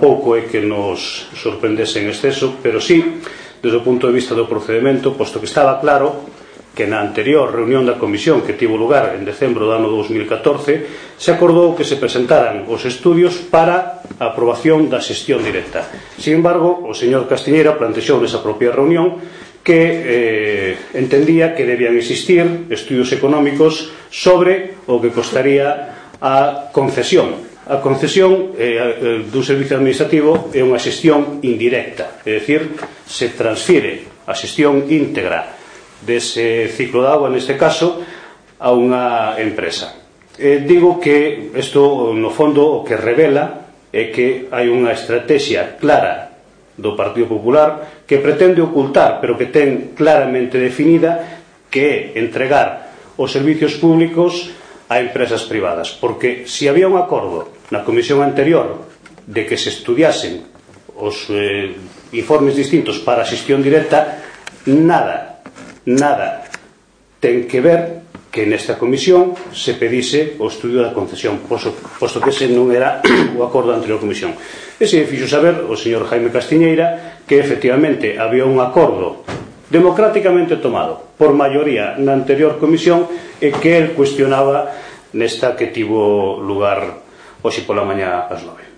tampouco é que nos sorprendese en exceso, pero sí, desde o punto de vista do procedimento, posto que estaba claro que na anterior reunión da Comisión que tivo lugar en decembro do ano 2014 se acordou que se presentaran os estudios para a aprobación da xestión directa. Sin embargo, o señor Castiñeira plantexou nesa propia reunión que entendía que debían existir estudios económicos sobre o que costaría a concesión. A concesión dun servicio administrativo é unha xestión indirecta, é dicir, se transfire a xestión íntegra dese ciclo de agua, neste caso, a unha empresa. Digo que isto, no fondo, o que revela é que hai unha estrategia clara do Partido Popular que pretende ocultar, pero que ten claramente definida, que é entregar os servicios públicos a empresas privadas. Porque se había un acordo na comisión anterior de que se estudiasen os informes distintos para a xestión directa, nada ten que ver que nesta comisión se pedise o estudio da concesión, posto que ese non era o acordo da anterior comisión. E se fixo saber o señor Jaime Castiñeira que efectivamente había un acordo democráticamente tomado por maioría na anterior comisión e que el cuestionaba nesta que tivo lugar hoxe pola mañá ás 9.